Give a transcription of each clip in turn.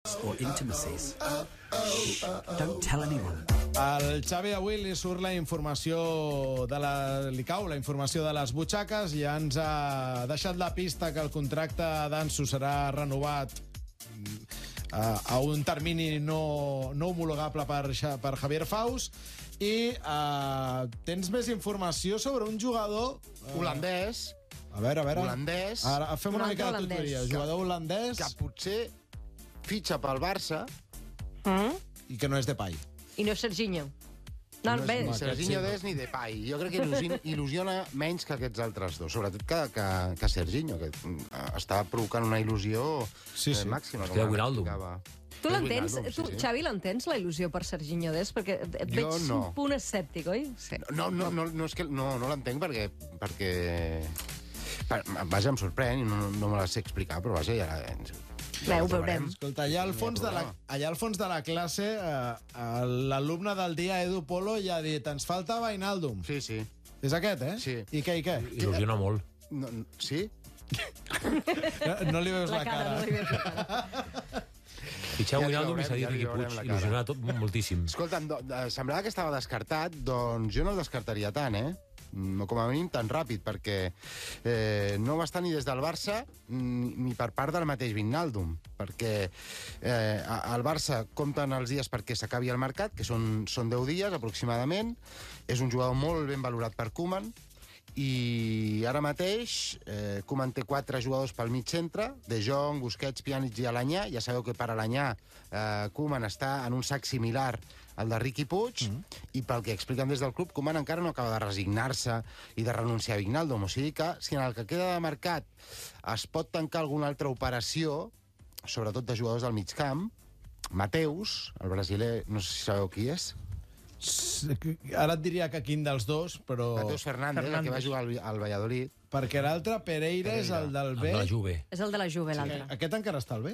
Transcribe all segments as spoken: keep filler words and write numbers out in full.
or intimacies. Shh, don't tell anyone. Al Xavi avui li surt la informació de la... li cau la informació de les butxaques i ja ens ha deixat la pista que el contracte d'Ansu serà renovat a un termini no, no homologable per, per Javier Faus. I uh, tens més informació sobre un jugador uh, holandès. A veure, a veure. Holandès. Ara fem una Un mica de holandès. tutoria. Jugador holandès Que potser fitxa pel Barça. Mm? i que no és Depay. I no és Serginho. No, No bé. és ni aquest Serginho sí. Dest ni Depay. Jo crec que il·lusiona, il·lusiona menys que aquests altres dos. Sobretot que, que, que Serginho, que està provocant una il·lusió Sí, sí. eh, màxima. Hòstia, Wijnaldum. Tu l'entens? Wijnaldum, Tu, sí, sí. Xavi, l'entens, la il·lusió per Serginho Dest? Perquè et veig Jo no. un punt escèptic, oi? Sí. No, no, no, no, és que no, no l'entenc perquè... perquè... per- Vaja, em sorprèn i no, no me la sé explicar, però vaja, ja... Bé, ho veurem. Escolta, allà al fons de la, allà al fons de la classe, eh, l'alumne del dia, Edu Polo, ja ha dit ens falta Wijnaldum. Sí, sí. És aquest, eh? Sí. I què, i què? Il·lusiona molt. No, no- sí? No, no li veus la, La cara, no li veus la cara. Fitxeu Ja li Wijnaldum i veurem, s'ha dit ja li Riqui veurem Puig. la cara. Il·lusionarà tot moltíssim. Escolta'm, do, de, semblava que estava descartat, doncs jo no el descartaria tant, eh? No, com a mínim tan ràpid, perquè eh, no va estar ni des del Barça ni, ni per part del mateix Wijnaldum, perquè eh, al Barça compten els dies perquè s'acabi el mercat, que són, són deu dies aproximadament. És un jugador molt ben valorat per Koeman, i ara mateix eh, Koeman té quatre jugadors pel mig centre, De Jong, Busquets, Pjanic i Alanyà. Ja sabeu que per Alanyà eh, Koeman està en un sac similar al de Riqui Puig, mm -hmm. i pel que expliquen des del club, Koeman encara no acaba de resignar-se i de renunciar a Wijnaldum. O sigui que, si en el que queda de mercat es pot tancar alguna altra operació, sobretot de jugadors del mig camp, Mateus, el brasiler, no sé si sabeu qui és, Ara et diria que quin dels dos, però... Mateus Fernández, el que va jugar al, al Valladolid. Perquè l'altre, Pereira, és el del Amb B. la Juve. És el de la Juve, l'altre. Aquest encara està al B?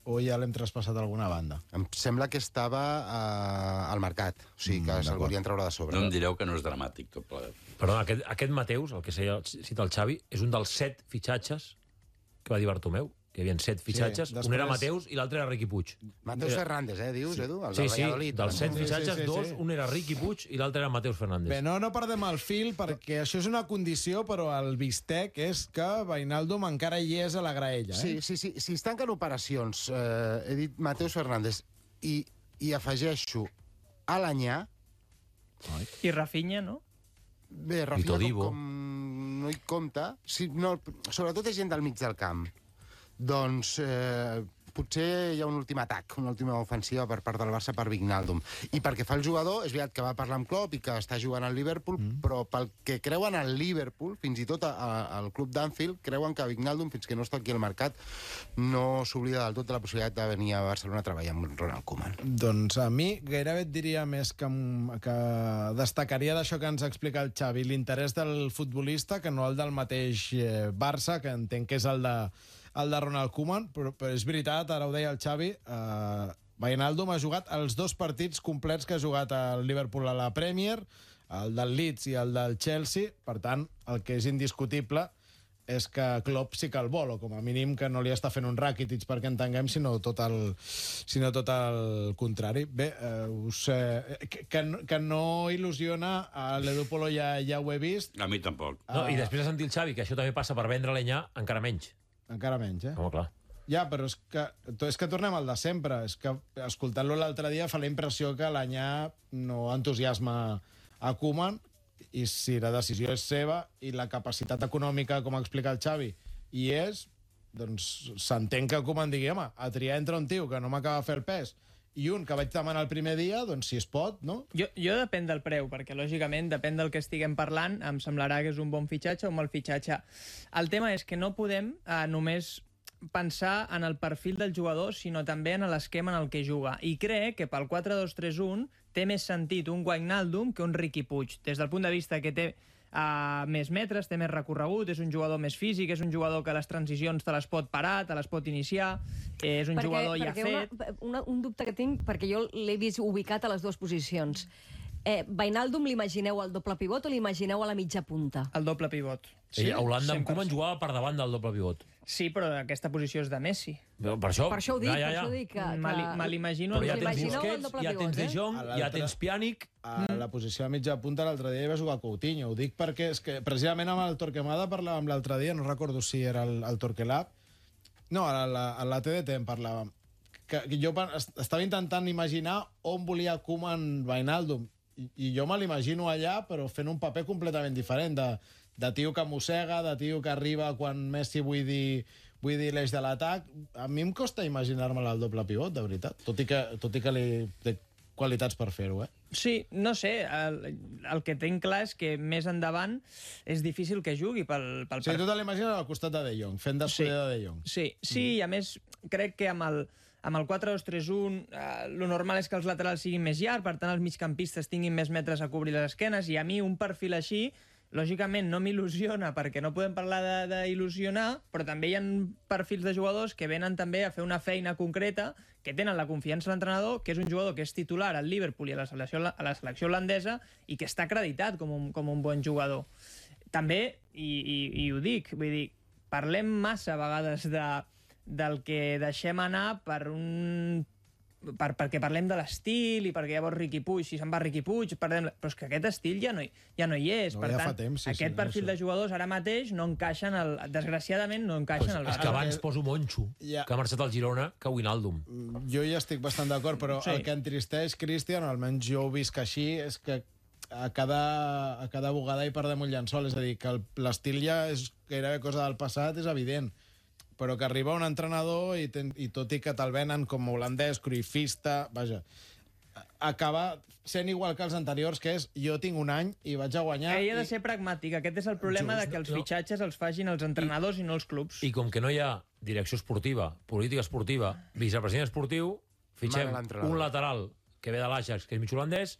O ja l'hem traspassat a alguna banda? Em sembla que estava eh, al mercat, o sigui que Mm, mm, se'l d'acord. volien treure de sobre. No em direu que no és dramàtic, tot plegat. Perdona, aquest, aquest Mateus, el que cita el Xavi, és un dels set fitxatges que va dir Bartomeu. Que hi havia set fitxatges, després- un era Mateus i l'altre era Riqui Puig. Mateus Fernández, eh, dius, Edu? El Sí, del sí, Valladolid. dels set Sí, sí, fitxatges, sí, sí. dos, un era Riqui Puig i l'altre era Mateus Fernández. Bé, no, no perdem el fil, perquè això és una condició, però el bistec és que Wijnaldum encara hi és a la graella, eh? Sí, sí, sí. Si es tanquen operacions, eh, he dit Mateus Fernández, i, i afegeixo Alanyà, I Rafinha, no? bé, Rafinha com, Todibo. com no hi compta, sí, no, sobretot és gent del mig del camp. Doncs eh, potser hi ha un últim atac, una última ofensiva per part del Barça per Wijnaldum. I perquè fa el jugador, és veritat que va parlar amb Klopp i que està jugant al Liverpool, mm. però pel que creuen al Liverpool, fins i tot a, a, al club d'Anfield, creuen que Wijnaldum, fins que no està aquí al mercat, no s'oblida del tot de la possibilitat de venir a Barcelona a treballar amb Ronald Koeman. Doncs a mi gairebé et diria més que, que destacaria d'això que ens explica el Xavi, l'interès del futbolista, que no el del mateix eh, Barça, que entenc que és el de, el de Ronald Koeman, però, però és veritat, ara ho deia el Xavi, eh, Wijnaldum ha jugat els dos partits complets que ha jugat el Liverpool a la Premier, el del Leeds i el del Chelsea. Per tant, el que és indiscutible és que Klopp sí que el vol, o com a mínim que no li està fent un Rakitic perquè entenguem, sinó tot el, sinó tot el contrari. Bé, eh, us, eh, que, que, no- que no il·lusiona a l'Edu Polo, ja, ja ho he vist, A mi tampoc. No, I després de sentir el Xavi, que això també passa per vendre l'Anyà, encara menys. encara menys, eh? Home, clar. Ja, però és que, és que tornem al de sempre. És que, escoltant-lo l'altre dia, fa la impressió que l'Anyà no entusiasma a Koeman, i si la decisió és seva i la capacitat econòmica, com explica el Xavi, hi és, doncs s'entén que Koeman digui, home, a triar entre un tio que no m'acaba de fer el pes i un que vaig demanar el primer dia, doncs si es pot, no? Jo, jo depèn del preu, perquè lògicament depèn del que estiguem parlant, em semblarà que és un bon fitxatge o un mal fitxatge. El tema és que no podem eh, només pensar en el perfil del jugador, sinó també en l'esquema en el que juga. I crec que pel quatre dos tres un té més sentit un Wijnaldum que un Riqui Puig, des del punt de vista que té uh, més metres, té més recorregut, és un jugador més físic, és un jugador que les transicions te les pot parar, te les pot iniciar, és un perquè, jugador ja perquè fet... Una, una, un dubte que tinc, perquè jo l'he vist ubicat a les dues posicions. Eh, Wijnaldum l'imagineu al doble pivot o l'imagineu a la mitja punta? El doble pivot. Sí, a Holanda amb cent per Koeman cent. jugava per davant del doble pivot. Sí, però aquesta posició és de Messi. Per això, Per això ho dic, ja, ja, per ja. això dic que... Me li- que... me l'imagino... Però ja en- tens Imagineu el Busquets, doble ja tens pivot, De eh? Jong, A ja l'altre- tens Pjanic... A la posició de mitja punta l'altre dia hi va jugar Coutinho. Ho dic perquè és que precisament amb el Torquemada parlàvem l'altre dia, no recordo si era el, el Torquelab, no, a la, a la T D T en parlàvem, que, que jo pa- est- estava intentant imaginar on volia Koeman Wijnaldum, i, i jo me l'imagino allà, però fent un paper completament diferent, de, de tio que mossega, de tio que arriba quan Messi vull dir, vull dir l'eix de l'atac. A mi em costa imaginar-me el doble pivot, de veritat, tot i que, tot i que li té qualitats per fer-ho, eh? Sí, no sé, el, el que tinc clar és que més endavant és difícil que jugui pel, pel O sigui, tu te l'imagines al costat de De Jong, fent d'escuder de De Jong. Sí, sí, mm. i a més crec que amb el, amb el quatre dos tres un eh, lo normal és que els laterals siguin més llargs, per tant els migcampistes tinguin més metres a cobrir les esquenes, i a mi un perfil així, lògicament, no m'il·lusiona, perquè no podem parlar d'il·lusionar, però també hi ha perfils de jugadors que venen també a fer una feina concreta, que tenen la confiança de l'entrenador, que és un jugador que és titular al Liverpool i a la selecció, a la selecció holandesa i que està acreditat com un, com un bon jugador. També, i, i, i ho dic, vull dir, parlem massa a vegades de, del que deixem anar per un... Per, perquè parlem de l'estil i perquè llavors Riqui Puig, si se'n va Riqui Puig, perdem... però és que aquest estil ja no hi, ja no hi és. No, per ja tant, fa temps, sí, aquest sí, perfil no, de jugadors ara mateix no encaixen, el, desgraciadament, no encaixen al És Barça. que abans poso Moncho, Ja. que ha marxat al Girona, que Wijnaldum. Jo hi estic bastant d'acord, però Sí. sí. el que entristeix, Cristian, almenys jo ho visc així, és que a cada, a cada bugada hi perdem un llençol. És a dir, que el- l'estil ja és gairebé cosa del passat, és evident. Però que arriba un entrenador i, ten, i tot i que te'l venen com a holandès, cruifista, vaja, acaba sent igual que els anteriors, que és jo tinc un any i vaig a guanyar... Ell ha de i... ser pragmàtic. Aquest és el problema Just, de que els no. fitxatges els facin els entrenadors i, i no els clubs. I com que no hi ha direcció esportiva, política esportiva, vicepresident esportiu, fitxem Mana l'entrenador. un lateral que ve de l'Ajax, que és mig holandès,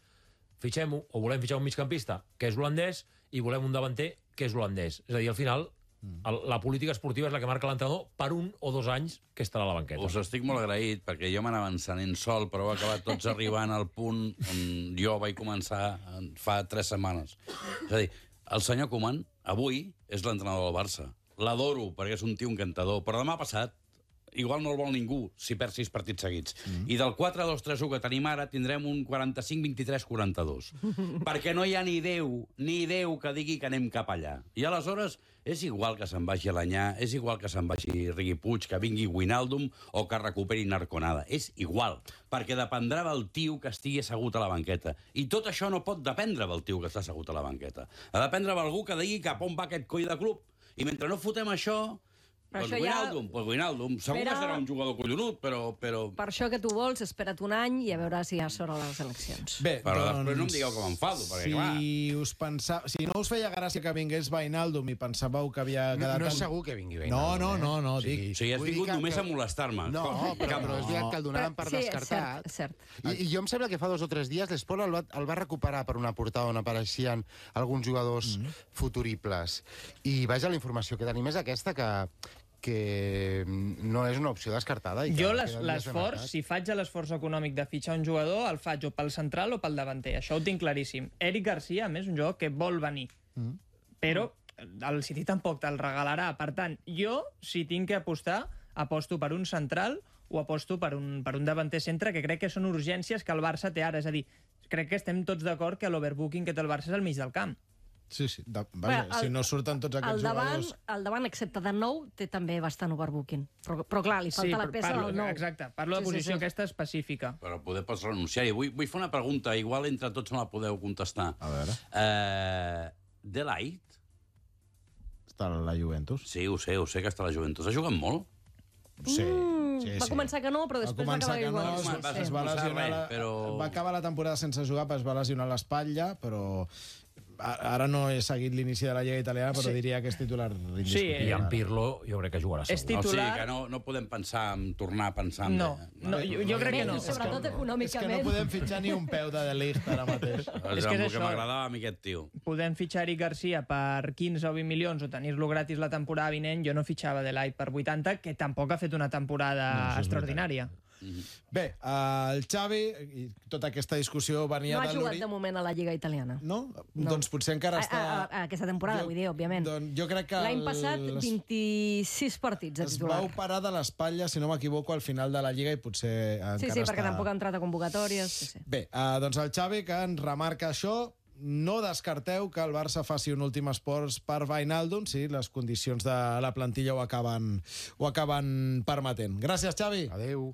fitxem-ho, o volem fitxar un migcampista, que és holandès, i volem un davanter, que és holandès. És a dir, al final, el, la política esportiva és la que marca l'entrenador per un o dos anys que estarà a la banqueta. Us estic molt agraït, perquè jo m'anava encenent sol, però heu acabat tots arribant al punt on jo vaig començar fa tres setmanes. És a dir, el senyor Koeman, avui, és l'entrenador del Barça. L'adoro, perquè és un tio encantador, però demà passat igual no el vol ningú si perd sis partits seguits. Mm. I del quatre dos tres u que tenim ara tindrem un quaranta-cinc vint-i-tres quaranta-dos. Perquè no hi ha ni Déu, ni Déu que digui que anem cap allà. I aleshores és igual que se'n vagi Alanyà, és igual que se'n vagi Riqui Puig, que vingui Wijnaldum o que recuperi Narconada. És igual, perquè dependrà del tio que estigui assegut a la banqueta. I tot això no pot dependre del tio que està assegut a la banqueta. Ha de dependre d'algú que digui cap on va aquest coll de club. I mentre no fotem això... Però Doncs això ja- Wijnaldum, pues Wijnaldum. Segur Espera- que serà un jugador collonut, però... però... Per això que tu vols, espera't un any i a veure si hi ha sort a les eleccions. Bé, Però doncs, després no em digueu que m'enfado, perquè, si clar. Us pensa... Si no us feia gràcia que vingués Wijnaldum i pensàveu que havia No, quedat... no és tan- segur que vingui No, Wijnaldum, no, eh? no, no, O sigui, dic... O sigui, has vull dir vingut que- només que- a molestar-me. No, però, però és veritat que el donaven per sí, és descartat. cert, és cert. I, I jo em sembla que fa dos o tres dies l'Esport el, va, el va recuperar per una portada on apareixien alguns jugadors mm -hmm. futuribles. I vaja, la informació que tenim és aquesta, que, que no és una opció descartada. I que Jo queda les- dies de l'esforç, mercat. si faig l'esforç econòmic de fitxar un jugador, el faig o pel central o pel davanter. Això ho tinc claríssim. Eric Garcia, a més, un jugador que vol venir. Mm. Però el City tampoc te'l regalarà. Per tant, jo, si tinc que apostar, aposto per un central o aposto per un, per un davanter centre, que crec que són urgències que el Barça té ara. És a dir, crec que estem tots d'acord que l'overbooking que té el Barça és al mig del camp. Sí, sí. De, vaja, Bé, el- si no surten tots aquests El davant, jugadors... el davant, excepte de nou, té també bastant overbooking. Però, però clar, li falta la però peça parlo, del nou. exacte. Parlo de Sí, sí, posició sí. aquesta específica. Però poder pots renunciar-hi. Vull, vull fer una pregunta, igual entre tots me la podeu contestar. A veure. Eh, De Ligt? Està a la Juventus. Sí, ho sé, ho sé que està a la Juventus. Ha jugat molt? Sí, Mm, sí, va sí. començar que no, però després va, començar acabar que no, igual. es, sí, va, sí. es va No lesionar, res, la, però- va acabar la temporada sense jugar, però es va lesionar l'espatlla, però a- ara no he seguit l'inici de la Lliga Italiana, però Sí. diria que és titular indiscutible. Sí, I en Pirlo jo crec que jugarà És segur. O sigui titular... que no, no podem pensar en tornar a pensar en... No, no, jo, jo crec que no. I sobretot És que econòmicament. no podem fitxar ni un peu de De Ligt ara mateix. És, És que és el que això. m'agradava a mi aquest tio. Podem fitxar Eric Garcia per quinze o vint milions o tenir-lo gratis la temporada vinent. Jo no fitxava De Ligt per vuitanta, que tampoc ha fet una temporada No, això és extraordinària. Bé, el Xavi, i tota aquesta discussió venia No ha de jugat l'Uri... de moment a la Lliga italiana. No? No. Doncs potser encara A, està... a, a aquesta temporada, Jo- vull dir, òbviament. Doncs jo crec que... L'any el- passat, les- vint-i-sis partits de Es titular. va operar de l'espatlla, si no m'equivoco, al final de la Lliga i potser encara Sí, sí, perquè està... tampoc ha entrat a convocatòries. Sí, sí. Bé, eh, doncs el Xavi, que ens remarca això, no descarteu que el Barça faci un últim esforç per Wijnaldum si les condicions de la plantilla ho acaben, ho acaben permetent. Gràcies, Xavi. Adéu.